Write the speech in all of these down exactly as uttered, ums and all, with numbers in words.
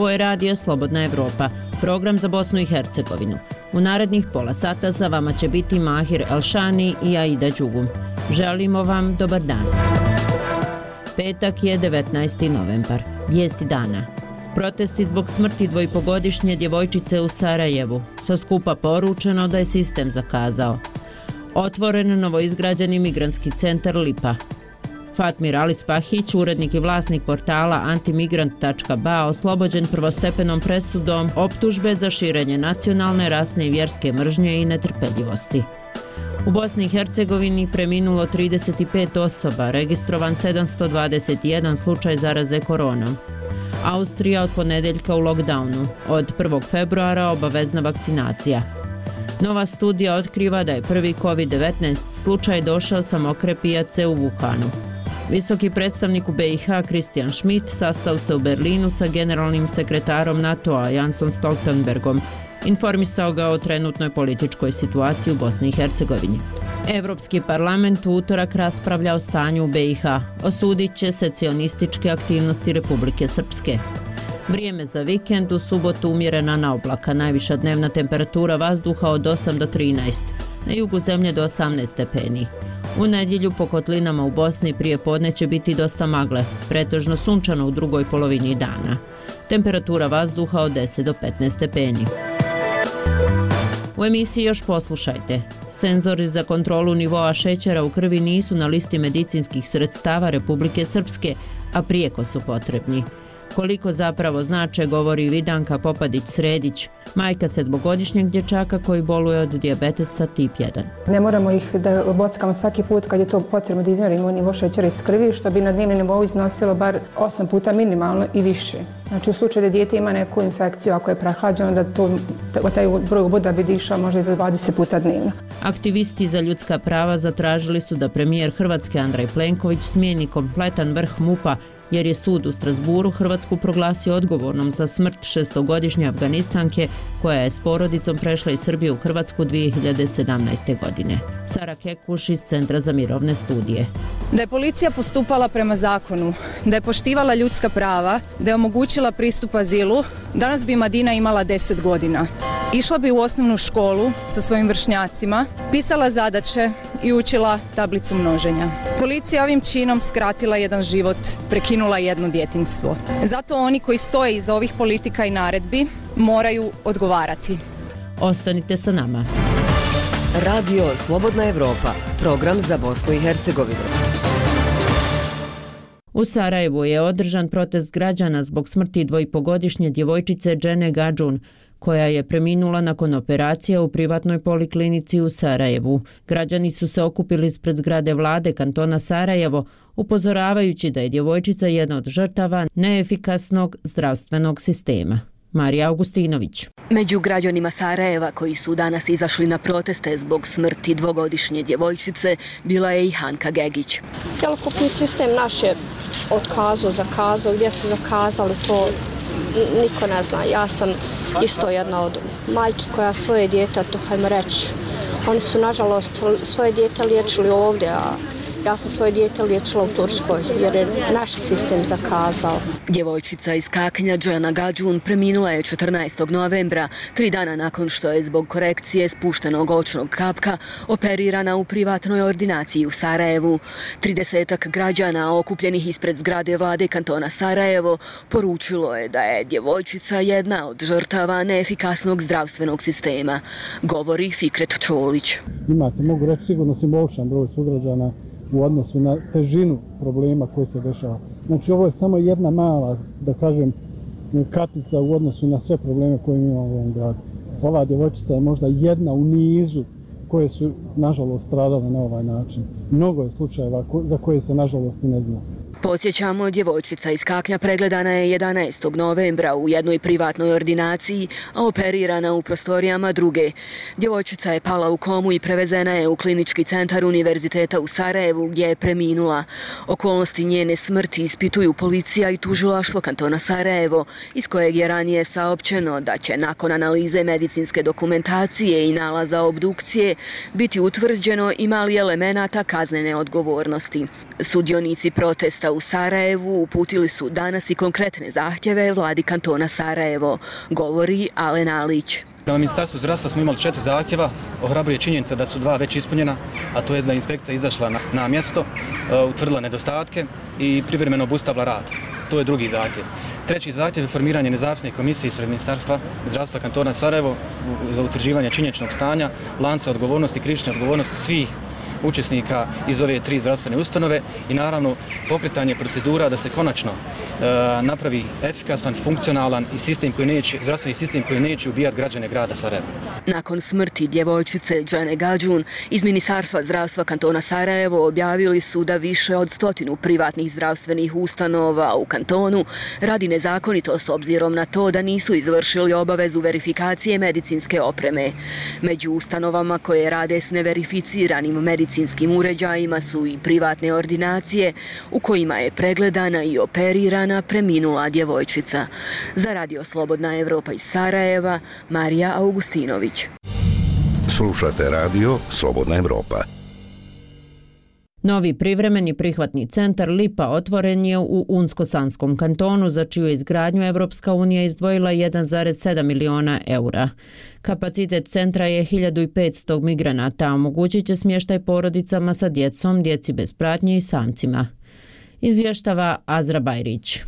Ovo je radio Slobodna Evropa, program za Bosnu i Hercegovinu. U narednih pola sata za vama će biti Mahir Elšani i Aida Đugum. Želimo vam dobar dan. Petak je devetnaesti novembar. Vijesti dana. Protesti zbog smrti dvojpogodišnje djevojčice u Sarajevu. Sa skupa poručeno da je sistem zakazao. Otvoren novoizgrađeni migrantski centar Lipa. Fatmir Ali Spahić, urednik i vlasnik portala antimigrant tačka ba, oslobođen prvostepenom presudom optužbe za širenje nacionalne, rasne i vjerske mržnje i netrpeljivosti. U Bosni i Hercegovini preminulo trideset pet osoba, registrovan sedamsto dvadeset jedan slučaj zaraze koronom. Austrija od ponedeljka u lockdownu, od prvog februara obavezna vakcinacija. Nova studija otkriva da je prvi kovid devetnaest slučaj došao sa mokre pijace u Wuhanu. Visoki predstavnik u be i ha Christian Schmidt sastao se u Berlinu sa generalnim sekretarom NATO-a Jansom Stoltenbergom. Informisao ga o trenutnoj političkoj situaciji u Bosni i Hercegovini. Evropski parlament u utorak raspravlja o stanju u be i ha. Osudit će secesionističke aktivnosti Republike Srpske. Vrijeme za vikend, u subotu umjerena na oblaka, najviša dnevna temperatura vazduha od osam do trinaest, na jugu zemlje do osamnaest stepeni. U nedjelju po kotlinama u Bosni prije podne će biti dosta magle, pretežno sunčano u drugoj polovini dana. Temperatura vazduha od deset do petnaest stepeni. U emisiji još poslušajte. Senzori za kontrolu nivoa šećera u krvi nisu na listi medicinskih sredstava Republike Srpske, a prijeko su potrebni. Koliko zapravo znače, govori Vidanka Popadić-Sredić, majka sedmogodišnjeg dječaka koji boluje od dijabetesa tip jedan. Ne moramo ih da bockamo svaki put kad je to potrebno da izmjerimo nivo šećera iz krvi, što bi na dnevnom nivou iznosilo bar osam puta minimalno i više. Znači u slučaju da dijete ima neku infekciju, ako je prehlađeno, da to, taj broj uboda bi dišao možda i do dvadeset puta dnevno. Aktivisti za ljudska prava zatražili su da premijer Hrvatske Andrej Plenković smijeni kompletan vrh mupa, jer je sud u Strasburu Hrvatsku proglasio odgovornom za smrt šestogodišnje Afganistanke koja je s porodicom prešla iz Srbije u Hrvatsku dvije hiljade sedamnaeste. godine. Sara Kekuš iz Centra za mirovne studije. Da je policija postupala prema zakonu, da je poštivala ljudska prava, da je omogućila pristup azilu, danas bi Madina imala deset godina. Išla bi u osnovnu školu sa svojim vršnjacima, pisala zadaće i učila tablicu množenja. Policija ovim činom skratila jedan život, prekinula jedno djetinjstvo. Zato oni koji stoje iza ovih politika i naredbi moraju odgovarati. Ostanite sa nama. Radio Slobodna Evropa, program za Bosnu i Hercegovinu. U Sarajevu je održan protest građana zbog smrti dvojpogodišnje djevojčice Džene Gadžun, koja je preminula nakon operacije u privatnoj poliklinici u Sarajevu. Građani su se okupili ispred zgrade vlade kantona Sarajevo, upozoravajući da je djevojčica jedna od žrtava neefikasnog zdravstvenog sistema. Marija Augustinović. Među građanima Sarajeva koji su danas izašli na proteste zbog smrti dvogodišnje djevojčice bila je i Hanka Gegić. Cjelokupni sistem naš je otkazao, zakazao, gdje su zakazali to niko ne zna. Ja sam isto jedna od majki koja svoje dijete, to hajmo reći, oni su nažalost svoje dijete liječili ovdje, a ja sam svoje dijete liječila u Turskoj jer je naš sistem zakazao. Djevojčica iz Kaknja Džena Gadžun preminula je četrnaestog novembra, tri dana nakon što je zbog korekcije spuštenog očnog kapka operirana u privatnoj ordinaciji u Sarajevu. Tridesetak građana okupljenih ispred zgrade vlade kantona Sarajevo poručilo je da je djevojčica jedna od žrtava neefikasnog zdravstvenog sistema, govori Fikret Čolić. Imate, mogu reći, sigurno simboličan broj sugrađana u odnosu na težinu problema koji se dešava. Znači ovo je samo jedna mala, da kažem, kapica u odnosu na sve probleme koje imamo u ovom gradu. Ova djevojčica je možda jedna u nizu koje su nažalost stradale na ovaj način. Mnogo je slučajeva za koje se nažalost i ne zna. Podsjećamo, djevojčica iz Kaknja pregledana je jedanaestog novembra u jednoj privatnoj ordinaciji, a operirana u prostorijama druge. Djevojčica je pala u komu i prevezena je u klinički centar Univerziteta u Sarajevu gdje je preminula. Okolnosti njene smrti ispituju policija i tužilaštvo kantona Sarajevo, iz kojeg je ranije saopćeno da će nakon analize medicinske dokumentacije i nalaza obdukcije biti utvrđeno ima li elemenata kaznene odgovornosti. Sudionici protesta u Sarajevu uputili su danas i konkretne zahtjeve vladi kantona Sarajevo, govori Alen Alić. Prema Ministarstvu zdravstva smo imali četiri zahtjeva, ohrabruje činjenica da su dva već ispunjena, a to je da je inspekcija izašla na, na mjesto, uh, utvrdila nedostatke i privremeno obustavila rad. To je drugi zahtjev. Treći zahtjev je formiranje nezavisne komisije ispred Ministarstva zdravstva kantona Sarajevo za utvrđivanje činjeničnog stanja, lanca odgovornosti i krivične odgovornosti svih učesnika iz ove tri zdravstvene ustanove i naravno pokretanje procedura da se konačno e, napravi efikasan, funkcionalan i sistem koji neće, zdravstveni sistem koji neće ubijati građane grada Sarajeva. Nakon smrti djevojčice Džane Gađun iz Ministarstva zdravstva kantona Sarajevo objavili su da više od stotinu privatnih zdravstvenih ustanova u kantonu radi nezakonito s obzirom na to da nisu izvršili obavezu verifikacije medicinske opreme. Među ustanovama koje rade s neverificiranim medicinskim medicinskim uređajima su i privatne ordinacije u kojima je pregledana i operirana preminula djevojčica. Za Radio Slobodna Evropa iz Sarajeva, Marija Augustinović. Slušate Radio Slobodna Evropa. Novi privremeni prihvatni centar Lipa otvoren je u Unsko-Sanskom kantonu, za čiju izgradnju Evropska unija izdvojila jedan zarez sedam miliona eura. Kapacitet centra je hiljadu petsto migranata, a omogućit će smještaj porodicama sa djecom, djeci bez pratnje i samcima. Izvještava Azra Bajrić.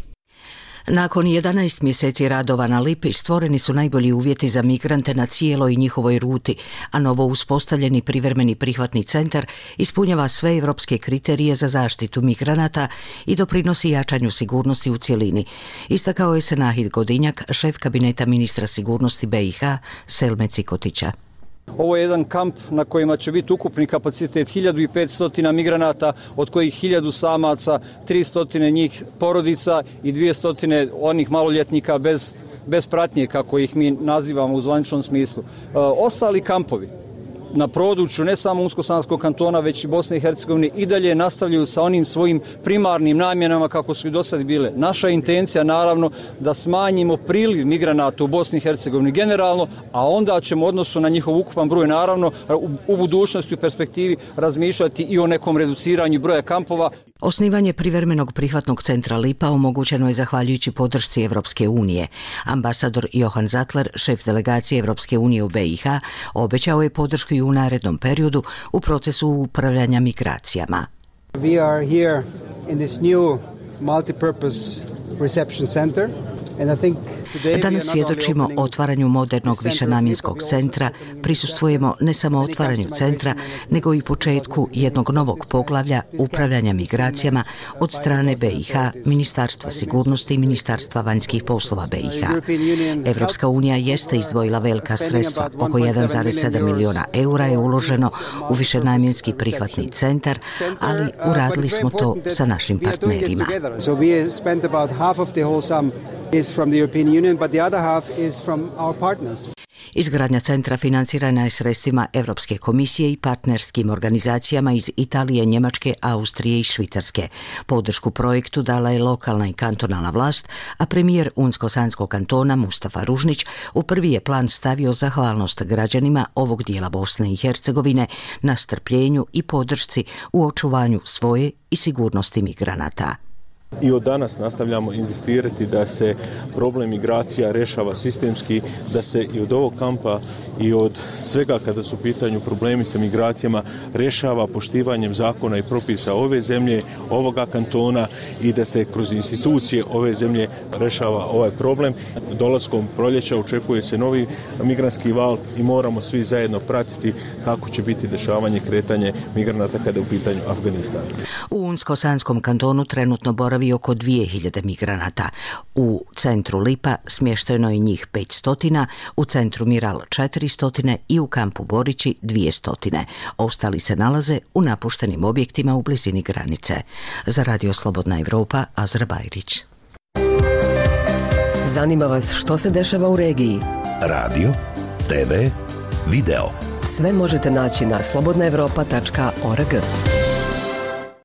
Nakon jedanaest mjeseci radova na Lipi stvoreni su najbolji uvjeti za migrante na cijeloj njihovoj ruti, a novo uspostavljeni privremeni prihvatni centar ispunjava sve evropske kriterije za zaštitu migranata i doprinosi jačanju sigurnosti u cjelini. Istakao je Senahid Godinjak, šef kabineta ministra sigurnosti B i H Selme Cikotića. Ovo je jedan kamp na kojima će biti ukupni kapacitet hiljadu petsto migranata, od kojih hiljadu samaca, tristo njih porodica i dvjesto onih maloljetnika bez, bez pratnje, kako ih mi nazivamo u zvaničnom smislu. E, ostali kampovi na području ne samo Unsko-Sanskog kantona, već i Bosne i Hercegovine i dalje nastavljaju sa onim svojim primarnim namjenama kako su i do sad bile. Naša intencija naravno da smanjimo priliv migranata u Bosni i Hercegovini generalno, a onda ćemo u odnosu na njihov ukupan broj naravno u, u budućnosti, u perspektivi razmišljati i o nekom reduciranju broja kampova. Osnivanje privremenog prihvatnog centra Lipa omogućeno je zahvaljujući podršci Evropske unije. Ambasador Johan Zatler, šef delegacije Evropske unije u B i H, obećao je podršku i u narednom periodu u procesu upravljanja migracijama. We are here in this new multipurpose reception center. Danas svjedočimo otvaranju modernog višenamjenskog centra, prisustvujemo ne samo otvaranju centra, nego i početku jednog novog poglavlja upravljanja migracijama od strane B i H, Ministarstva sigurnosti i Ministarstva vanjskih poslova B i H. Evropska unija jeste izdvojila velika sredstva, oko jedan zarez sedam miliona eura je uloženo u višenamjenski prihvatni centar, ali uradili smo to sa našim partnerima. Is from the European Union, but the other half is from our partners. Izgradnja centra financirana je sredstvima Evropske komisije i partnerskim organizacijama iz Italije, Njemačke, Austrije i Švicarske. Podršku projektu dala je lokalna i kantonalna vlast, a premijer Unsko-Sanskog kantona Mustafa Ružnić u prvi je plan stavio zahvalnost građanima ovog dijela Bosne i Hercegovine na strpljenju i podršci u očuvanju svoje i sigurnosti migranata. I od danas nastavljamo inzistirati da se problem migracija rješava sistemski, da se i od ovog kampa i od svega kada su u pitanju problemi sa migracijama rješava poštivanjem zakona i propisa ove zemlje, ovoga kantona i da se kroz institucije ove zemlje rješava ovaj problem. Dolaskom proljeća očekuje se novi migrantski val i moramo svi zajedno pratiti kako će biti dešavanje kretanje migranata kada je u pitanju Afganistan. U Unsko-Sanskom kantonu trenutno boravi oko dvije hiljade migranata. U centru Lipa smješteno je njih petsto, u centru Miral četiristo i u kampu Borići dvjesto. Ostali se nalaze u napuštenim objektima u blizini granice. Za Radio Slobodna Evropa, Azra Bajrić. Zanima vas što se dešava u regiji? Radio, te ve, video. Sve možete naći na slobodna evropa tačka org.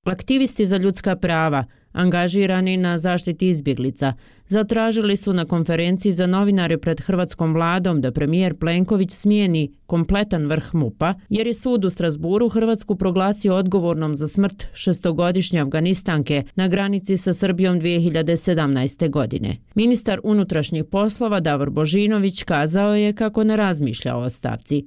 Aktivisti za ljudska prava, angažirani na zaštiti izbjeglica, zatražili su na konferenciji za novinare pred hrvatskom vladom da premijer Plenković smijeni kompletan vrh MUP-a, jer je sud u Strasburu Hrvatsku proglasio odgovornom za smrt šestogodišnje Afganistanke na granici sa Srbijom dvije hiljade sedamnaeste. godine. Ministar unutrašnjih poslova Davor Božinović kazao je kako ne razmišlja o ostavci.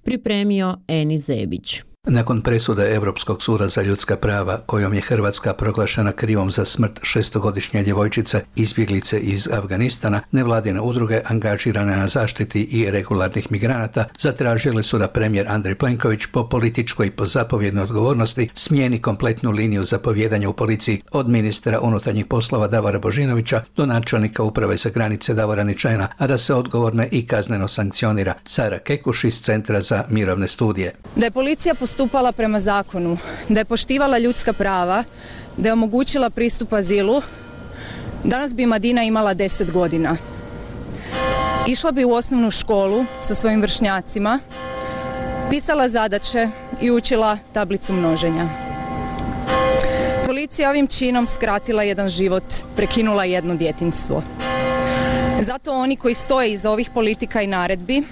Pripremio Eni Zebić. Nakon presude Europskog suda za ljudska prava kojom je Hrvatska proglašena krivom za smrt šestogodišnje djevojčice izbjeglice iz Afganistana, nevladine udruge angažirane na zaštiti i regularnih migranata zatražile su da premijer Andrej Plenković po političkoj i po zapovjednoj odgovornosti smijeni kompletnu liniju zapovjedanja u policiji od ministra unutarnjih poslova Davora Božinovića do načelnika uprave za granice Davora Ničena, a da se odgovorne i kazneno sankcionira. Sara Kekuš iz Centra za mirovne studije. Da je policija postupala prema zakonu, da je poštivala ljudska prava, da je omogućila pristup azilu, danas bi Madina imala deset godina. Išla bi u osnovnu školu sa svojim vršnjacima, pisala zadaće i učila tablicu množenja. Policija ovim činom skratila jedan život, prekinula jedno djetinjstvo. Zato oni koji stoje iza ovih politika i naredbi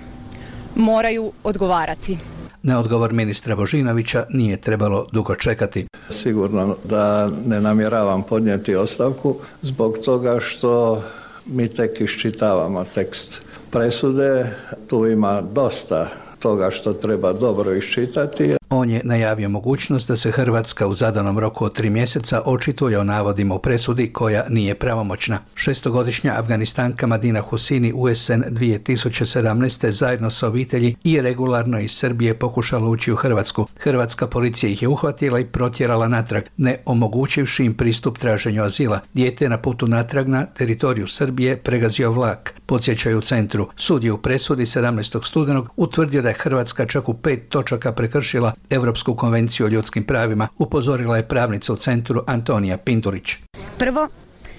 moraju odgovarati. Na odgovor ministra Božinovića nije trebalo dugo čekati. Sigurno da ne namjeravam podnijeti ostavku zbog toga što mi tek iščitavamo tekst presude. Tu ima dosta toga što treba dobro iščitati. On je najavio mogućnost da se Hrvatska u zadanom roku od tri mjeseca očituje o navodima u presudi koja nije pravomoćna. Šestogodišnja Afganistanka Madina Husini u jesen dvije tisuće sedamnaeste. zajedno sa obitelji i regularno iz Srbije pokušala ući u Hrvatsku. Hrvatska policija ih je uhvatila i protjerala natrag, ne omogućivši im pristup traženju azila. Dijete je na putu natrag na teritoriju Srbije pregazio vlak. Podsjećaju u centru. Sud je u presudi sedamnaestog studenog utvrdio da je Hrvatska čak u pet točaka prekršila Europsku konvenciju o ljudskim pravima, upozorila je pravnica u centru Antonija Pindurić. Prvo,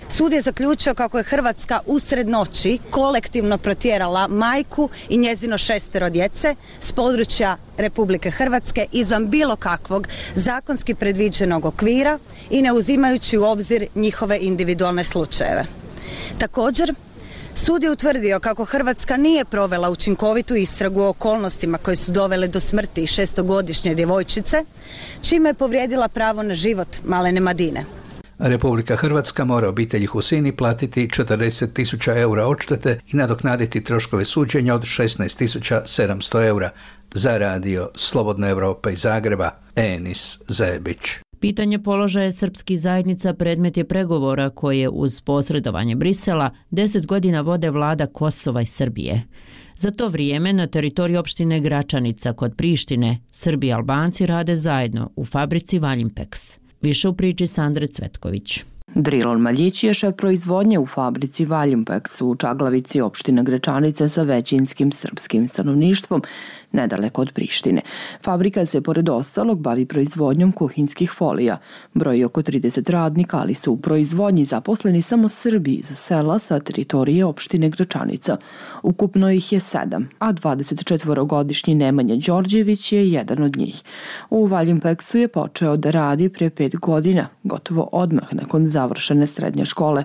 sud je zaključio kako je Hrvatska usred noći kolektivno protjerala majku i njezino šestero djece s područja Republike Hrvatske izvan bilo kakvog zakonski predviđenog okvira i ne uzimajući u obzir njihove individualne slučajeve. Također, sud je utvrdio kako Hrvatska nije provela učinkovitu istragu o okolnostima koje su dovele do smrti šestogodišnje djevojčice, čime je povrijedila pravo na život malene Madine. Republika Hrvatska mora obitelji Husini platiti četrdeset tisuća eura odštete i nadoknaditi troškove suđenja od šesnaest tisuća sedamsto eura. Za radio Slobodna Evropa iz Zagreba, Enis Zebić. Pitanje položaja srpskih zajednica predmet je pregovora koje uz posredovanje Brisela deset godina vode vlada Kosova i Srbije. Za to vrijeme na teritoriju opštine Gračanica kod Prištine Srbi i Albanci rade zajedno u fabrici Valjimpex. Više u priči Sandre Cvetković. Drilon Maljić je šef proizvodnje u fabrici Valjimpex u Čaglavici opštine Gračanica sa većinskim srpskim stanovništvom nedaleko od Prištine. Fabrika se pored ostalog bavi proizvodnjom kuhinskih folija. Broji oko trideset radnika, ali su u proizvodnji zaposleni samo Srbi iz sela sa teritorije opštine Gračanica. Ukupno ih je sedam, a dvadesetčetvorogodišnji Nemanja Đorđević je jedan od njih. U Valjimpexu je počeo da radi prije pet godina, gotovo odmah nakon završene srednje škole.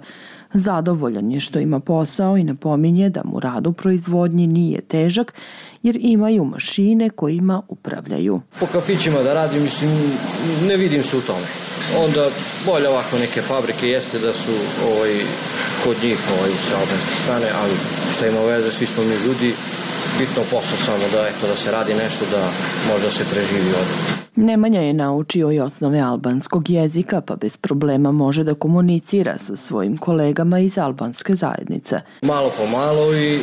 Zadovoljan je što ima posao i napominje da mu rad u proizvodnji nije težak jer imaju mašine kojima upravljaju. Po kafićima da radim, mislim, ne vidim se u tome. Onda bolje ovako neke fabrike jeste da su ovaj, kod njih ovaj, sa albanske strane, ali šta ima veze, svi smo mi ljudi, bitno posao samo da, eto, da se radi nešto da možda se preživi ovdje. Nemanja je naučio i osnove albanskog jezika, pa bez problema može da komunicira sa svojim kolegama iz albanske zajednice. Malo po malo i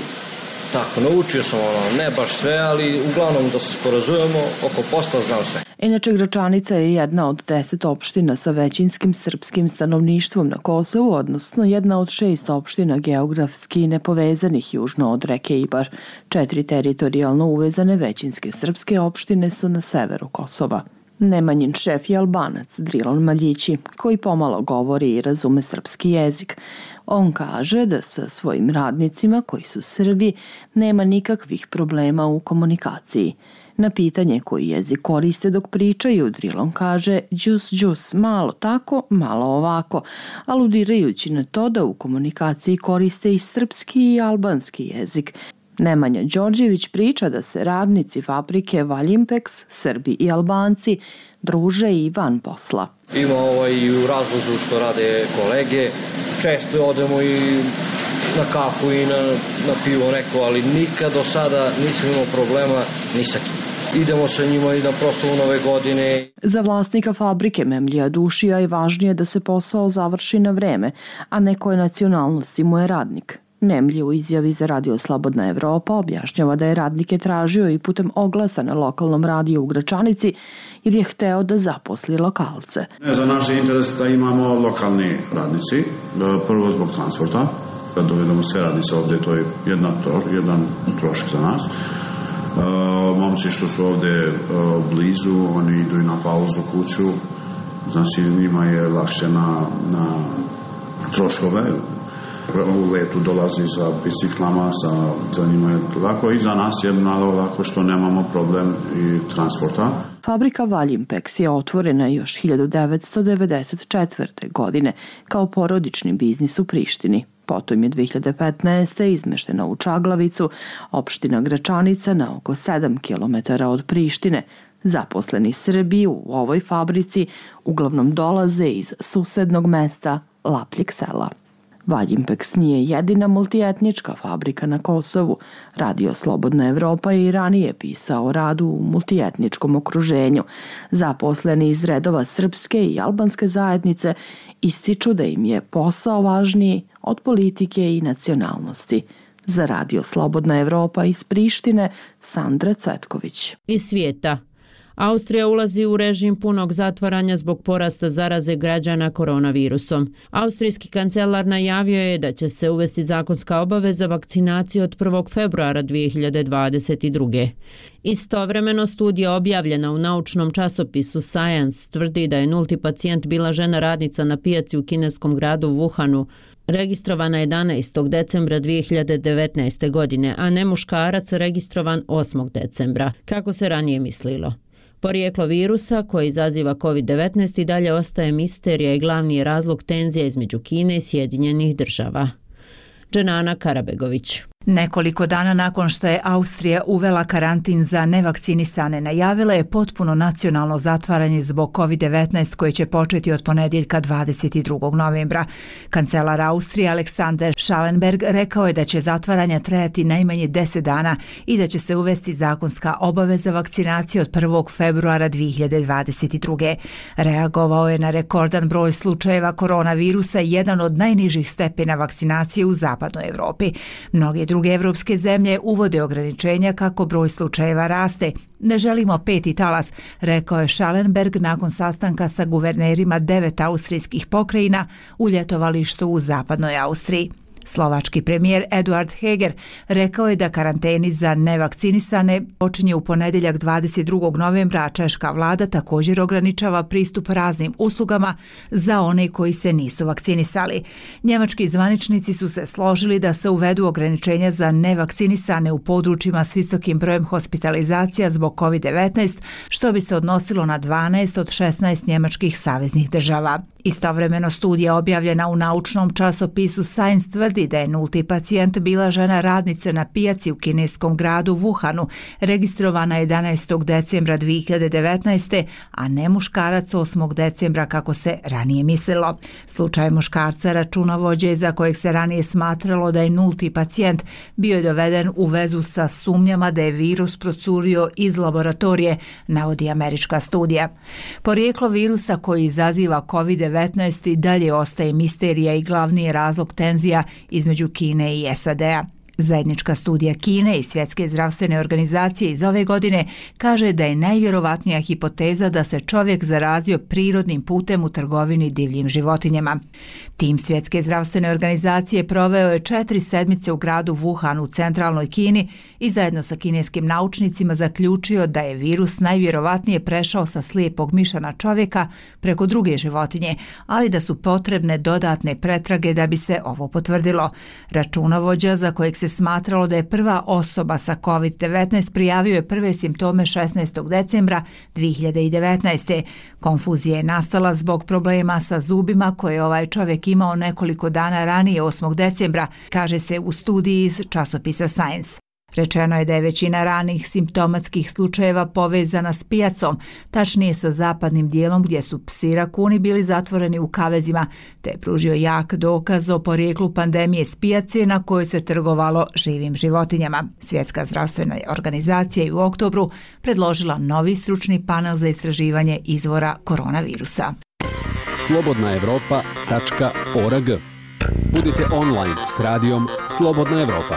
tako, naučio sam ono, ne baš sve, ali uglavnom da se sporazujemo, oko posla znam sve. Inače, Gračanica je jedna od deset opština sa većinskim srpskim stanovništvom na Kosovu, odnosno jedna od šest opština geografski nepovezanih južno od reke Ibar. Četiri teritorijalno uvezane većinske srpske opštine su na severu Kosova. Nemanjin šef je Albanac Drilon Maljići, koji pomalo govori i razume srpski jezik. On kaže da sa svojim radnicima, koji su Srbi, nema nikakvih problema u komunikaciji. Na pitanje koji jezik koriste dok pričaju, Drilon kaže džus džus, malo tako, malo ovako, aludirajući na to da u komunikaciji koriste i srpski i albanski jezik. Nemanja Đorđević priča da se radnici fabrike Valjimpex, Srbi i Albanci, druže i van posla. Ima ovaj i u razlozu što rade kolege, često odemo i na kafu i na, na pivo neko, ali nikad do sada nisam imao problema ni sa kim. Idemo sa njima i na proslavu Nove godine. Za vlasnika fabrike Memlija Dušija je važnije da se posao završi na vreme, a nekoj nacionalnosti mu je radnik. Memlji u izjavi za Radio Slobodna Evropa objašnjava da je radnike tražio i putem oglasa na lokalnom radiju u Gračanici jer je hteo da zaposli lokalce. Za naš interes da imamo lokalni radnici, prvo zbog transporta. Kad dovedemo sve radnice ovdje, to je jedna, jedan trošak za nas. Momci što su ovdje blizu, oni idu i na pauzu kuću, znači njima je lakše na, na troškove. U letu dolazi sa biciklama, sa, za njima je lako i za nas je malo lako što nemamo problem i transporta. Fabrika Valjimpex je otvorena još hiljadu devetsto devedeset četvrte. godine kao porodični biznis u Prištini. Potom je dve hiljade petnaeste. izmeštena u Čaglavicu, opština Gračanica na oko sedam kilometara od Prištine. Zaposleni Srbi u ovoj fabrici uglavnom dolaze iz susednog mesta Lapljeg sela. Valjimpex nije jedina multietnička fabrika na Kosovu. Radio Slobodna Evropa je i ranije pisao o radu u multietničkom okruženju. Zaposleni iz redova srpske i albanske zajednice ističu da im je posao važniji od politike i nacionalnosti. Za Radio Slobodna Evropa iz Prištine, Sandra Cvetković. Iz svijeta. Austrija ulazi u režim punog zatvaranja zbog porasta zaraze građana koronavirusom. Austrijski kancelar najavio je da će se uvesti zakonska obaveza vakcinacije od prvog februara dve hiljade dvadeset druge. Istovremeno studija objavljena u naučnom časopisu Science tvrdi da je nulti pacijent bila žena radnica na pijaci u kineskom gradu Wuhanu, registrovana jedanaestog decembra dve hiljade devetnaeste. godine, a ne muškarac registrovan osmog decembra, kako se ranije mislilo. Porijeklo virusa koji izaziva kovid devetnaest i dalje ostaje misterija i glavni je razlog tenzija između Kine i Sjedinjenih država. Dženana Karabegović. Nekoliko dana nakon što je Austrija uvela karantin za nevakcinisane, najavila je potpuno nacionalno zatvaranje zbog kovid devetnaest koje će početi od ponedjeljka dvadeset drugog novembra. Kancelar Austrije Alexander Schallenberg rekao je da će zatvaranja trajati najmanje deset dana i da će se uvesti zakonska obaveza vakcinacije od prvog februara dve hiljade dvadeset druge. Reagovao je na rekordan broj slučajeva koronavirusa i jedan od najnižih stepena vakcinacije u zapadnoj Evropi. Mnoge druge evropske zemlje uvode ograničenja kako broj slučajeva raste. Ne želimo peti talas, rekao je Schallenberg nakon sastanka sa guvernerima devet austrijskih pokrajina u ljetovalištu u zapadnoj Austriji. Slovački premijer Eduard Heger rekao je da karanteni za nevakcinisane počinje u ponedjeljak dvadeset drugog novembra, a češka vlada također ograničava pristup raznim uslugama za one koji se nisu vakcinisali. Njemački zvaničnici su se složili da se uvedu ograničenja za nevakcinisane u područjima s visokim brojem hospitalizacija zbog kovid devetnaest, što bi se odnosilo na dvanaest od šesnaest njemačkih saveznih država. Istovremeno studija objavljena u naučnom časopisu Science tvrdi da je nulti pacijent bila žena radnica na pijaci u kineskom gradu Wuhanu, registrovana jedanaestog decembra dve hiljade devetnaeste. a ne muškarac osmog decembra kako se ranije mislilo. Slučaj muškarca računovođe za kojeg se ranije smatralo da je nulti pacijent bio je doveden u vezu sa sumnjama da je virus procurio iz laboratorije, navodi američka studija. Porijeklo virusa koji izaziva kovid devetnaest i dalje ostaje misterija i glavni je razlog tenzija između Kine i S A D-a. Zajednička studija Kine i Svjetske zdravstvene organizacije iz ove godine kaže da je najvjerovatnija hipoteza da se čovjek zarazio prirodnim putem u trgovini divljim životinjama. Tim Svjetske zdravstvene organizacije proveo je četiri sedmice u gradu Wuhan u centralnoj Kini i zajedno sa kineskim naučnicima zaključio da je virus najvjerovatnije prešao sa slijepog miša na čovjeka preko druge životinje, ali da su potrebne dodatne pretrage da bi se ovo potvrdilo. Računovođa za kojeg se se smatralo da je prva osoba sa kovid devetnaest prijavio je prve simptome šesnaestog decembra dvije hiljade devetnaeste. Konfuzija je nastala zbog problema sa zubima koje je ovaj čovjek imao nekoliko dana ranije osmog decembra, kaže se u studiji iz časopisa Science. Rečeno je da je većina ranih simptomatskih slučajeva povezana s pijacom, tačnije sa zapadnim dijelom gdje su psi rakuni bili zatvoreni u kavezima, te je pružio jak dokaz o porijeklu pandemije s pijace na kojoj se trgovalo živim životinjama. Svjetska zdravstvena organizacija je u oktobru predložila novi stručni panel za istraživanje izvora koronavirusa. slobodna evropa tačka org. Budite online s radijom Slobodna Evropa.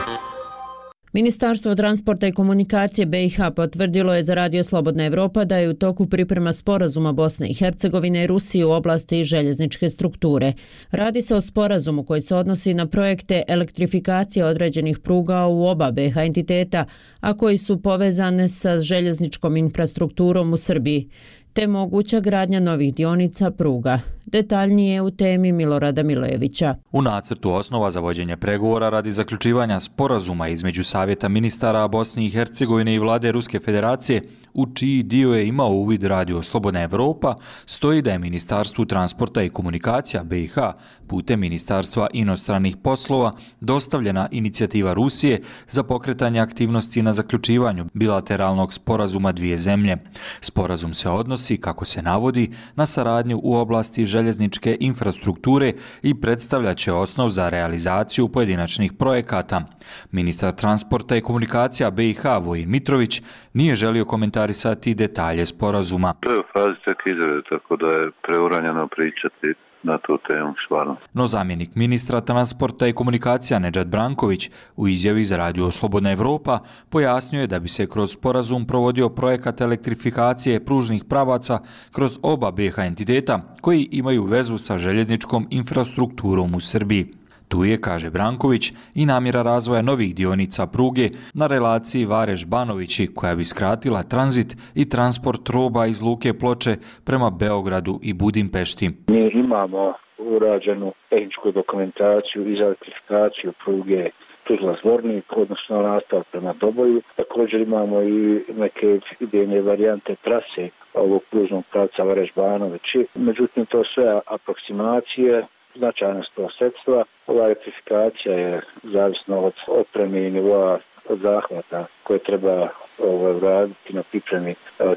Ministarstvo transporta i komunikacije B i H potvrdilo je za Radio Slobodna Evropa da je u toku priprema sporazuma Bosne i Hercegovine i Rusije u oblasti željezničke strukture. Radi se o sporazumu koji se odnosi na projekte elektrifikacije određenih pruga u oba B i H entiteta, a koji su povezane sa željezničkom infrastrukturom u Srbiji, te moguća gradnja novih dionica pruga. Detaljnije u temi Milorada Milojevića. U nacrtu osnova za vođenje pregovora radi zaključivanja sporazuma između Savjeta ministara Bosne i Hercegovine i vlade Ruske federacije, u čiji dio je imao uvid Radio Slobodna Evropa, stoji da je Ministarstvu transporta i komunikacija B i H putem Ministarstva inostranih poslova dostavljena inicijativa Rusije za pokretanje aktivnosti na zaključivanju bilateralnog sporazuma dvije zemlje. Sporazum se odnosi, kako se navodi, na saradnju u oblasti željezničke infrastrukture i predstavljaće osnov za realizaciju pojedinačnih projekata. Ministar transporta i komunikacija B i H Vojin Mitrović nije želio komentarisati detalje sporazuma. To je u fazi tek izrade, tako da je preuranjeno pričati na tu temu stvarno. No zamjenik ministra transporta i komunikacija Nedžad Branković u izjavi za Radio Slobodna Evropa pojasnio je da bi se kroz sporazum provodio projekat elektrifikacije pružnih pravaca kroz oba B i H entiteta koji imaju vezu sa željezničkom infrastrukturom u Srbiji. Tu je, kaže Branković, i namjera razvoja novih dionica pruge na relaciji Vareš-Banovići koja bi skratila tranzit i transport roba iz Luke Ploče prema Beogradu i Budimpešti. Mi imamo urađenu tehničku dokumentaciju i za elektrifikaciju pruge Tuzla-Zvornik, odnosno nastav prema Doboju. Također imamo i neke idejne varijante trase ovog pružnog pravca Vareš-Banovići. Međutim, to sve aproksimacije, značajna sto sredstva. Ova elektrifikacija je zavisno od opreme i nivoa od zahvata koje treba ovaj, raditi na pripremi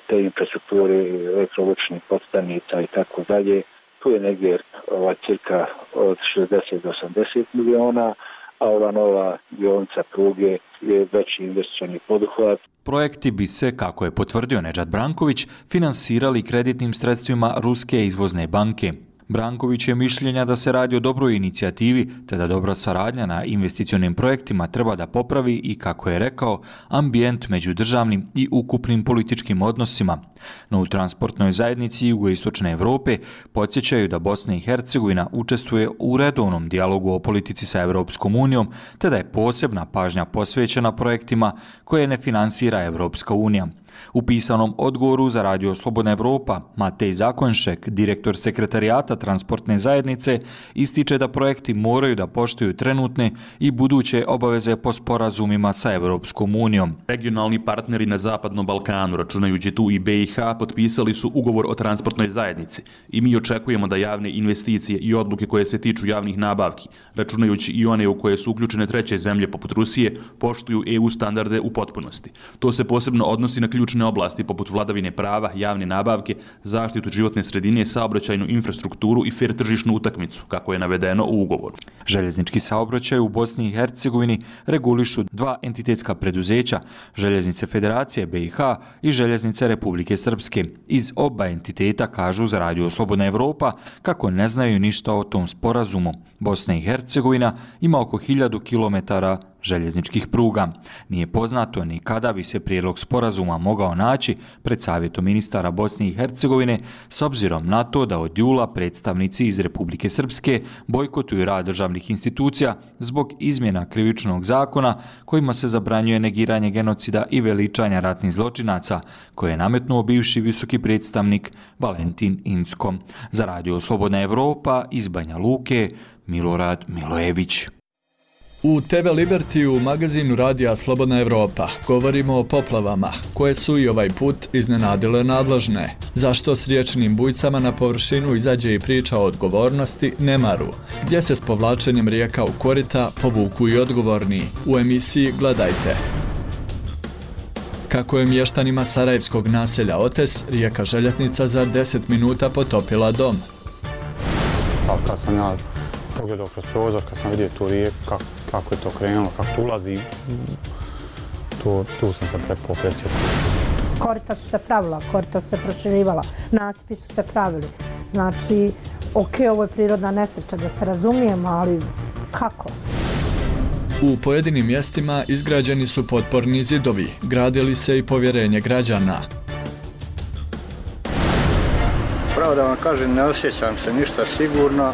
te infrastrukture, elektrovučnih podstanica i tako dalje. Tu je negdje ovaj, cirka od šezdeset do osamdeset miliona, a ova nova dionica pruge je veći investicioni poduhvat. Projekti bi se, kako je potvrdio Nedžad Branković, finansirali kreditnim sredstvima Ruske izvozne banke. Branković je mišljenja da se radi o dobroj inicijativi, te da dobra saradnja na investicionim projektima treba da popravi i, kako je rekao, ambijent među državnim i ukupnim političkim odnosima. No u transportnoj zajednici Jugoistočne Evrope podsjećaju da Bosna i Hercegovina učestvuje u redovnom dijalogu o politici sa Evropskom unijom, te da je posebna pažnja posvećena projektima koje ne finansira Evropska unija. U pisanom odgovoru za Radio Slobodna Evropa, Matej Zakonšek, direktor sekretarijata transportne zajednice, ističe da projekti moraju da poštuju trenutne i buduće obaveze po sporazumima sa Evropskom unijom. Regionalni partneri na Zapadnom Balkanu, računajući tu i B i H, potpisali su ugovor o transportnoj zajednici i mi očekujemo da javne investicije i odluke koje se tiču javnih nabavki, računajući i one u koje su uključene treće zemlje poput Rusije, poštuju E U standarde u potpunosti. To se posebno odnosi na ključne oblasti poput vladavine prava, javne nabavke, zaštitu životne sredine, saobraćajnu infrastrukturu i fer tržišnu utakmicu, kako je navedeno u ugovoru. Željeznički saobraćaj u Bosni i Hercegovini regulišu dva entitetska preduzeća, Željeznice Federacije B i H i Željeznice Republike Srpske. Iz oba entiteta kažu za Radio Slobodna Evropa kako ne znaju ništa o tom sporazumu. Bosna i Hercegovina ima oko hiljadu kilometara željezničkih pruga. Nije poznato ni kada bi se prijedlog sporazuma mogao naći pred Savjetom ministara Bosne i Hercegovine, s obzirom na to da od jula predstavnici iz Republike Srpske bojkotuju rad državnih institucija zbog izmjena krivičnog zakona kojima se zabranjuje negiranje genocida i veličanja ratnih zločinaca, koje je nametnuo bivši visoki predstavnik Valentin Incko. Za Radio Slobodna Evropa iz Banja Luke, Milorad Milojević. U te ve Liberty u magazinu Radija Slobodna Evropa govorimo o poplavama, koje su i ovaj put iznenadile nadležne. Zašto s riječnim bujcama na površinu izađe i priča o odgovornosti, nemaru, gdje se s povlačenjem rijeka u korita povuku i odgovorni. U emisiji Gledajte. Kako je mještanima sarajevskog naselja Otes rijeka Željeznica za deset minuta potopila dom. Pa kad sam ja pogledao kroz prozor, kad sam vidio tu rijeku, kako, kako je to krenulo, kako tu ulazi, tu, tu sam se preko presjetio. Korita su se pravila, korita su se proširivala, nasipi su se pravili. Znači, ok, ovo je prirodna nesreća, da se razumijemo, ali kako? U pojedinim mjestima izgrađeni su potporni zidovi, gradili se i povjerenje građana. Pravo da vam kažem, ne osjećam se ništa sigurno.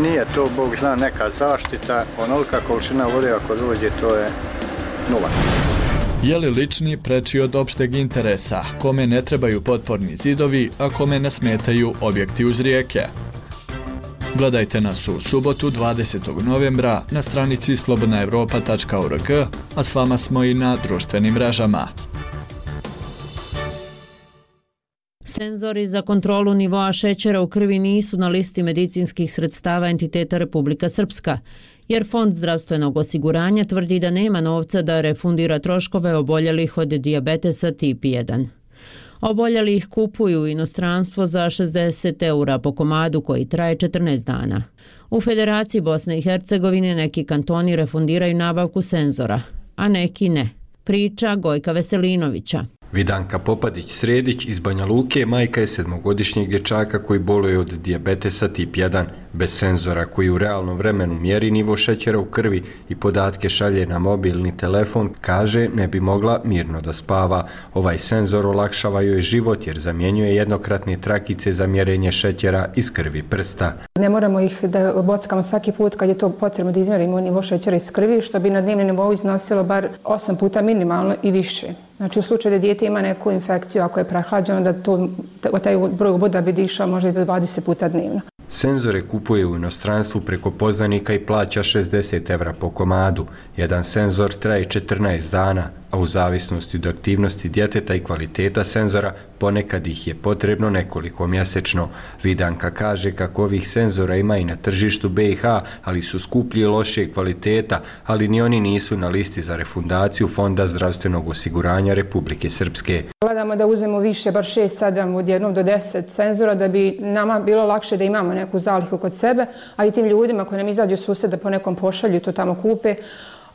Nije to, Bog zna, neka zaštita. Onolika količina vode ako dođe, to je nula. Je li lični preči od opšteg interesa, kome ne trebaju potporni zidovi, a kome ne smetaju objekti uz rijeke? Gledajte nas u subotu dvadesetog novembra na stranici slobodna evropa tačka org, a s vama smo i na društvenim mrežama. Senzori za kontrolu nivoa šećera u krvi nisu na listi medicinskih sredstava entiteta Republika Srpska, jer Fond zdravstvenog osiguranja tvrdi da nema novca da refundira troškove oboljelih od dijabetesa tip jedan. Oboljeli ih kupuju u inostranstvo za šezdeset eura po komadu koji traje četrnaest dana. U Federaciji Bosne i Hercegovine neki kantoni refundiraju nabavku senzora, a neki ne. Priča Gojka Veselinovića. Vidanka Popadić-Sredić iz Banja Luke majka je sedmogodišnjeg dječaka koji boluje od dijabetesa tip jedan. Bez senzora koji u realnom vremenu mjeri nivo šećera u krvi i podatke šalje na mobilni telefon, kaže ne bi mogla mirno da spava. Ovaj senzor olakšava joj život jer zamjenjuje jednokratne trakice za mjerenje šećera iz krvi prsta. Ne moramo ih da bockamo svaki put kad je to potrebno da izmjerimo nivo šećera iz krvi, što bi na dnevnom nivou iznosilo bar osam puta minimalno i više. Znači u slučaju da dijete ima neku infekciju, ako je prehlađeno, da to, taj broj boda bi dišao možda i do dvadeset puta dnevno. Senzore kupuje u inostranstvu preko poznanika i plaća šezdeset evra po komadu. Jedan senzor traje četrnaest dana, a u zavisnosti od aktivnosti djeteta i kvaliteta senzora ponekad ih je potrebno nekoliko mjesečno. Vidanka kaže kako ovih senzora ima i na tržištu be i ha, ali su skuplji i lošije kvaliteta, ali ni oni nisu na listi za refundaciju Fonda zdravstvenog osiguranja Republike Srpske. Gledamo da uzmemo više, bar šest, sedam, od jednog do deset senzora, da bi nama bilo lakše da imamo neku zalihu kod sebe, a i tim ljudima koji nam izađu susjed da po nekom pošalju to tamo kupe,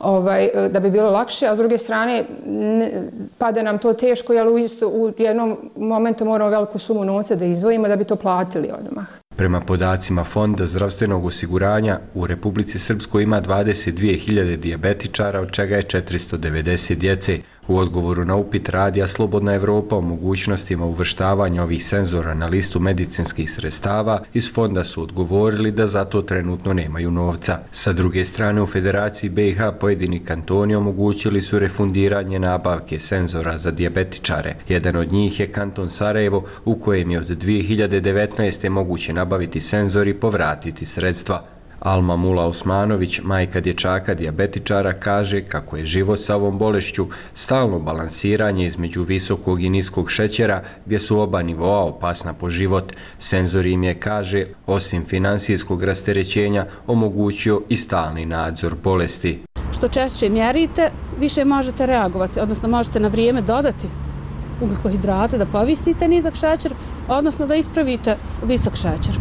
Ovaj, da bi bilo lakše, a s druge strane ne, pada nam to teško, jer u, isto, u jednom momentu moramo veliku sumu novca da izdvojimo da bi to platili odmah. Prema podacima Fonda zdravstvenog osiguranja, u Republici Srpskoj ima dvadeset dvije hiljade dijabetičara, od čega je četiristo devedeset djece. U odgovoru na upit Radija Slobodna Evropa o mogućnostima uvrštavanja ovih senzora na listu medicinskih sredstava, iz fonda su odgovorili da za to trenutno nemaju novca. Sa druge strane, u Federaciji be i ha pojedini kantoni omogućili su refundiranje nabavke senzora za dijabetičare. Jedan od njih je kanton Sarajevo, u kojem je od dvije hiljade devetnaeste. moguće nabaviti senzor i povratiti sredstva. Alma Mula Osmanović, majka dječaka dijabetičara, kaže kako je život sa ovom bolešću stalno balansiranje između visokog i niskog šećera, gdje su oba nivoa opasna po život. Senzor im je, kaže, osim finansijskog rasterećenja, omogućio i stalni nadzor bolesti. Što češće mjerite, više možete reagovati, odnosno možete na vrijeme dodati ugljikohidrate, da povisite nizak šećer, odnosno da ispravite visok šećer.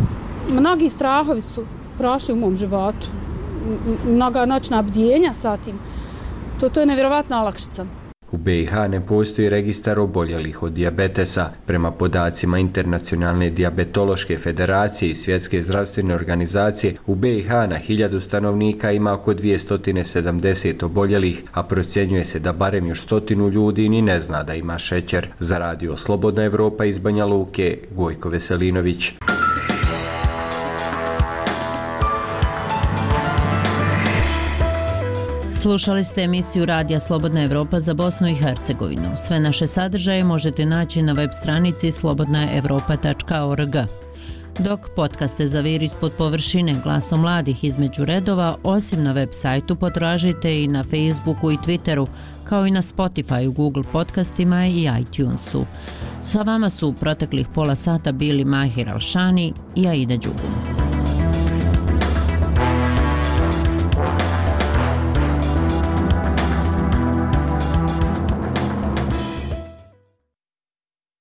Mnogi strahovi su prošli u mom životu. Mnoga noćna bdjenja sa tim. To, to je nevjerovatna olakšica. U be i ha ne postoji registar oboljelih od dijabetesa. Prema podacima Internacionalne dijabetološke federacije i Svjetske zdravstvene organizacije, u be i ha na hiljadu stanovnika ima oko dvjesto sedamdeset oboljelih, a procjenjuje se da barem još stotinu ljudi ni ne zna da ima šećer. Za Radio Slobodna Evropa iz Banja Luke, Gojko Veselinović. Slušali ste emisiju Radija Slobodna Evropa za Bosnu i Hercegovinu. Sve naše sadržaje možete naći na web stranici slobodna evropa tačka org. dok podcaste Zavir ispod površine Glasom mladih između redova, osim na web sajtu, potražite i na Facebooku i Twitteru, kao i na Spotify, Google podcastima i iTunesu. Sa vama su u proteklih pola sata bili Mahir Alšani i Aida Đugum.